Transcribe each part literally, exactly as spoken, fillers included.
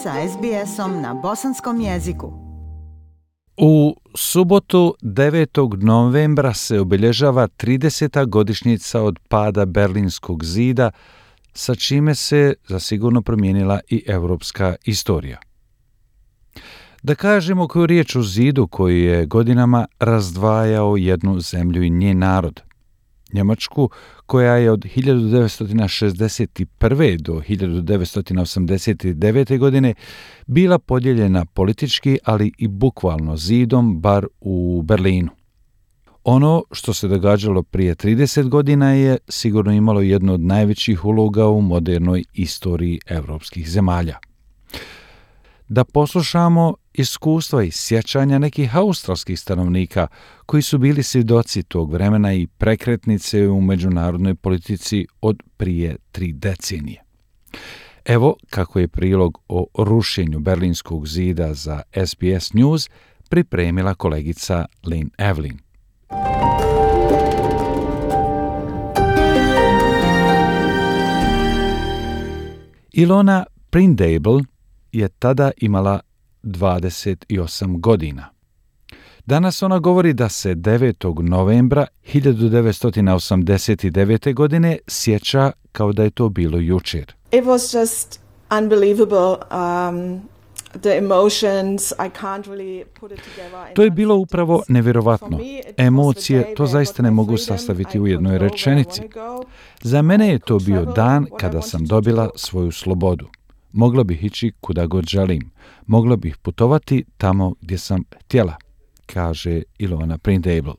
sa es be esom na bosanskom jeziku. U subotu devetog novembra se obilježava trideseta godišnjica od pada Berlinskog zida, sa čime se zasigurno promijenila i europska istorija. Da kažemo koju riječ o zidu koji je godinama razdvajao jednu zemlju i njen narod. Njemačku, koja je od hiljadu devetsto šezdeset prve. do hiljadu devetsto osamdeset devete. godine bila podijeljena politički, ali i bukvalno zidom, bar u Berlinu. Ono što se događalo prije trideset godina je sigurno imalo jednu od najvećih uloga u modernoj istoriji europskih zemalja. Da poslušamo iskustva i sjećanja nekih australskih stanovnika koji su bili svjedoci tog vremena i prekretnice u međunarodnoj politici od prije tri decenije. Evo kako je prilog o rušenju Berlinskog zida za es be es News pripremila kolegica Lynn Evelyn. Ilona Prindable je tada imala dvadeset osam godina. Danas ona govori da se devetog novembra hiljadu devetsto osamdeset devete. godine sjeća kao da je to bilo jučer. It was just unbelievable. Um, the emotions, I can't really put it together. To je bilo upravo nevjerovatno. Emocije, to zaista ne mogu sastaviti u jednoj rečenici. Za mene je to bio dan kada sam dobila svoju slobodu. Mogla bih ići kuda god želim. Mogla bih putovati tamo gdje sam htjela, kaže Ilona Prindable.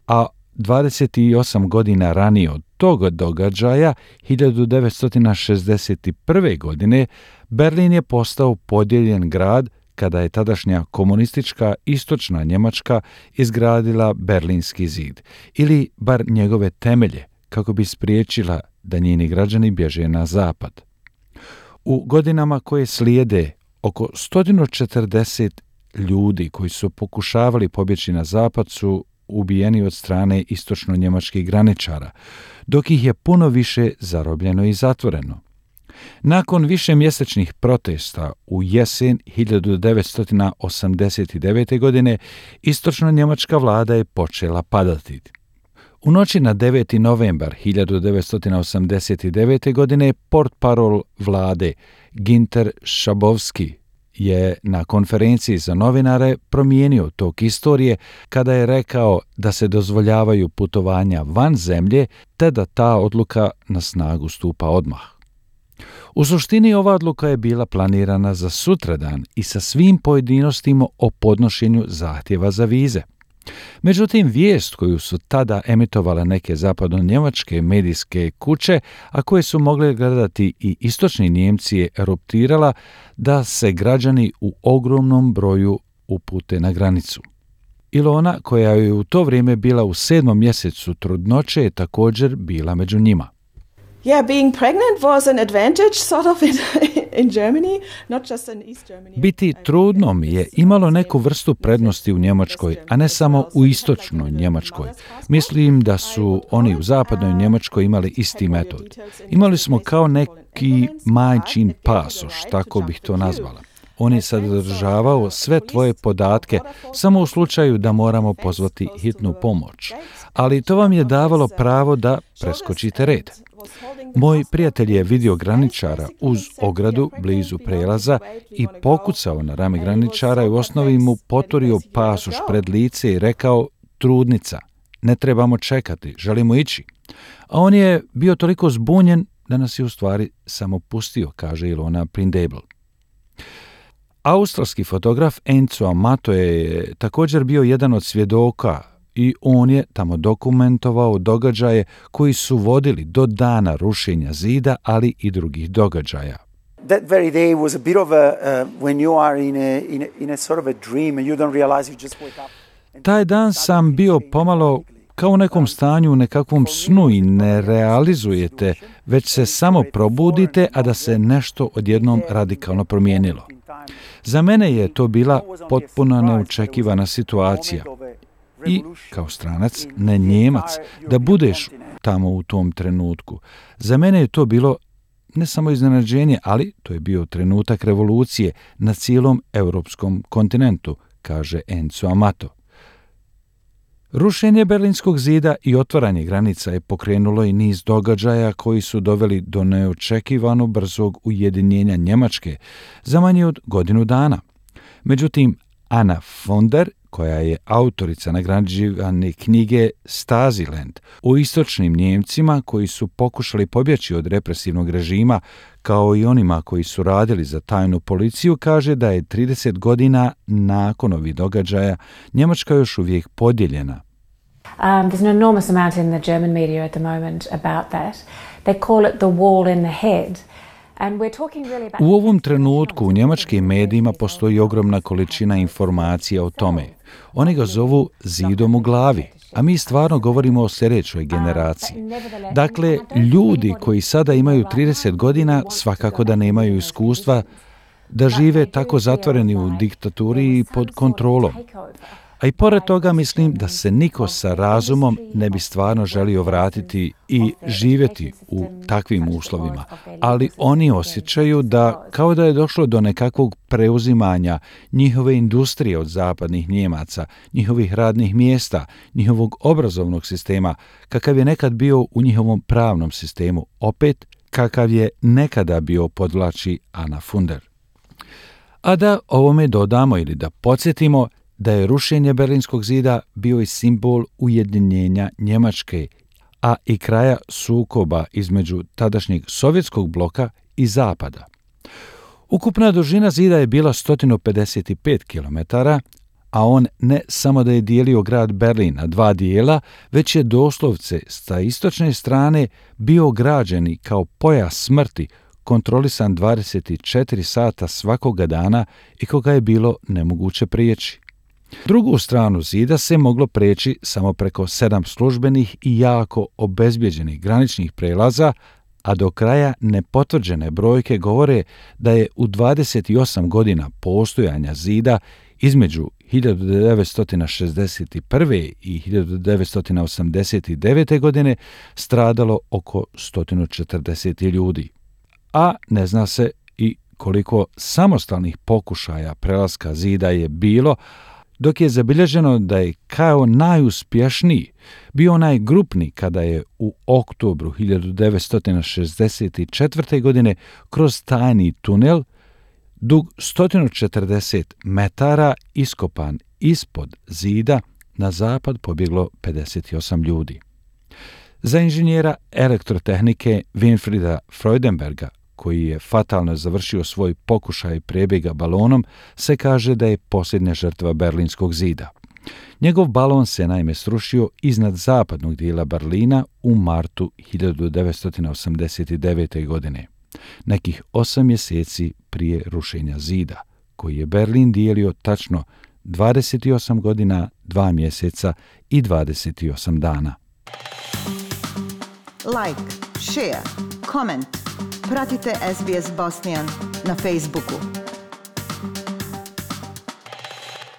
A dvadeset osam godina ranije od tog događaja, hiljadu devetsto šezdeset prve. godine, Berlin je postao podijeljen grad kada je tadašnja komunistička istočna Njemačka izgradila Berlinski zid, ili bar njegove temelje, kako bi spriječila da njeni građani bježe na zapad. U godinama koje slijede, oko sto četrdeset ljudi koji su pokušavali pobjeći na zapad su ubijeni od strane istočno-njemačkih graničara, dok ih je puno više zarobljeno i zatvoreno. Nakon višemjesečnih protesta u jesen hiljadu devetsto osamdeset devete. godine istočno-njemačka vlada je počela padati. U noći na deveti novembar hiljadu devetsto osamdeset devete. godine portparol vlade Ginter Schabowski je na konferenciji za novinare promijenio tok istorije kada je rekao da se dozvoljavaju putovanja van zemlje te da ta odluka na snagu stupa odmah. U suštini ova odluka je bila planirana za sutradan i sa svim pojedinostima o podnošenju zahtjeva za vize. Međutim, vijest koju su tada emitovale neke zapadno-njemačke medijske kuće, a koje su mogle gledati i istočni Njemci, je eruptirala da se građani u ogromnom broju upute na granicu. Ilona, koja je u to vrijeme bila u sedmom mjesecu trudnoće, je također bila među njima. Yeah, being pregnant was an advantage sort of in, in Germany, not just in East Germany. Biti trudnom je imalo neku vrstu prednosti u Njemačkoj, a ne samo u istočnoj Njemačkoj. Mislim da su oni u zapadnoj Njemačkoj imali isti metod. Imali smo kao neki majčin pasoš, tako bih to nazvala. On je sadržavao sve tvoje podatke, samo u slučaju da moramo pozvati hitnu pomoć. Ali to vam je davalo pravo da preskočite red. Moj prijatelj je vidio graničara uz ogradu blizu prelaza i pokucao na rame graničara i u osnovi mu poturio pasoš pred lice i rekao: trudnica, ne trebamo čekati, želimo ići. A on je bio toliko zbunjen da nas je u stvari samo pustio, kaže Ilona Prindable. Australski fotograf Enzo Amato je također bio jedan od svjedoka i on je tamo dokumentovao događaje koji su vodili do dana rušenja zida, ali i drugih događaja. That very day was a bit of a uh, when you are in a, in a in a sort of a dream and you don't realize you just wake up. Taj dan sam bio pomalo kao u nekom stanju, u nekakvom snu i ne realizujete, već se samo probudite, a da se nešto odjednom radikalno promijenilo. Za mene je to bila potpuno neočekivana situacija. I kao stranac, ne Njemac, da budeš tamo u tom trenutku. Za mene je to bilo ne samo iznenađenje, ali to je bio trenutak revolucije na cijelom europskom kontinentu, kaže Enzo Amato. Rušenje Berlinskog zida i otvaranje granica je pokrenulo i niz događaja koji su doveli do neočekivano brzog ujedinjenja Njemačke za manje od godinu dana. Međutim, Anna Funder, koja je autorica nagrađivane knjige Stasiland o istočnim Njemcima koji su pokušali pobjeći od represivnog režima, kao i onima koji su radili za tajnu policiju, kaže da je trideset godina nakon ovih događaja Njemačka još uvijek podijeljena. Um, there's an enormous amount in the German media at the moment about that. They call it the wall in the head. U ovom trenutku u njemačkim medijima postoji ogromna količina informacija o tome. Oni ga zovu zidom u glavi, a mi stvarno govorimo o sljedećoj generaciji. Dakle, ljudi koji sada imaju trideset godina svakako da nemaju iskustva da žive tako zatvoreni u diktaturi i pod kontrolom. A i pored toga mislim da se niko sa razumom ne bi stvarno želio vratiti i živjeti u takvim uslovima, ali oni osjećaju da kao da je došlo do nekakvog preuzimanja njihove industrije od zapadnih Njemaca, njihovih radnih mjesta, njihovog obrazovnog sistema, kakav je nekad bio u njihovom pravnom sistemu, opet kakav je nekada bio, podvlači Anna Funder. A da ovome dodamo ili da podsjetimo da je rušenje Berlinskog zida bio i simbol ujedinjenja Njemačke, a i kraja sukoba između tadašnjeg sovjetskog bloka i Zapada. Ukupna dužina zida je bila sto pedeset pet kilometara, a on ne samo da je dijelio grad Berlin na dva dijela, već je doslovce sa istočne strane bio građeni kao pojas smrti, kontrolisan dvadeset četiri sata svakoga dana i koga je bilo nemoguće prijeći. Drugu stranu zida se moglo preći samo preko sedam službenih i jako obezbjeđenih graničnih prelaza, a do kraja nepotvrđene brojke govore da je u dvadeset osam godina postojanja zida između hiljadu devetsto šezdeset prve i hiljadu devetsto osamdeset devete godine stradalo oko sto četrdeset ljudi. A ne zna se i koliko samostalnih pokušaja prelaska zida je bilo, dok je zabilježeno da je kao najuspješniji bio onaj grupni kada je u oktobru hiljadu devetsto šezdeset četvrte. godine kroz tajni tunel dug sto četrdeset metara iskopan ispod zida na zapad pobjeglo pedeset osam ljudi. Za inženjera elektrotehnike Winfrieda Freudenberga, koji je fatalno završio svoj pokušaj prebjega balonom, se kaže da je posljednja žrtva Berlinskog zida. Njegov balon se naime srušio iznad zapadnog dijela Berlina u martu hiljadu devetsto osamdeset devete. godine, nekih osam mjeseci prije rušenja zida, koji je Berlin dijelio tačno dvadeset osam godina, dva mjeseca i dvadeset osam dana. Like, share, comment. Pratite S B S Bosnian na Facebooku.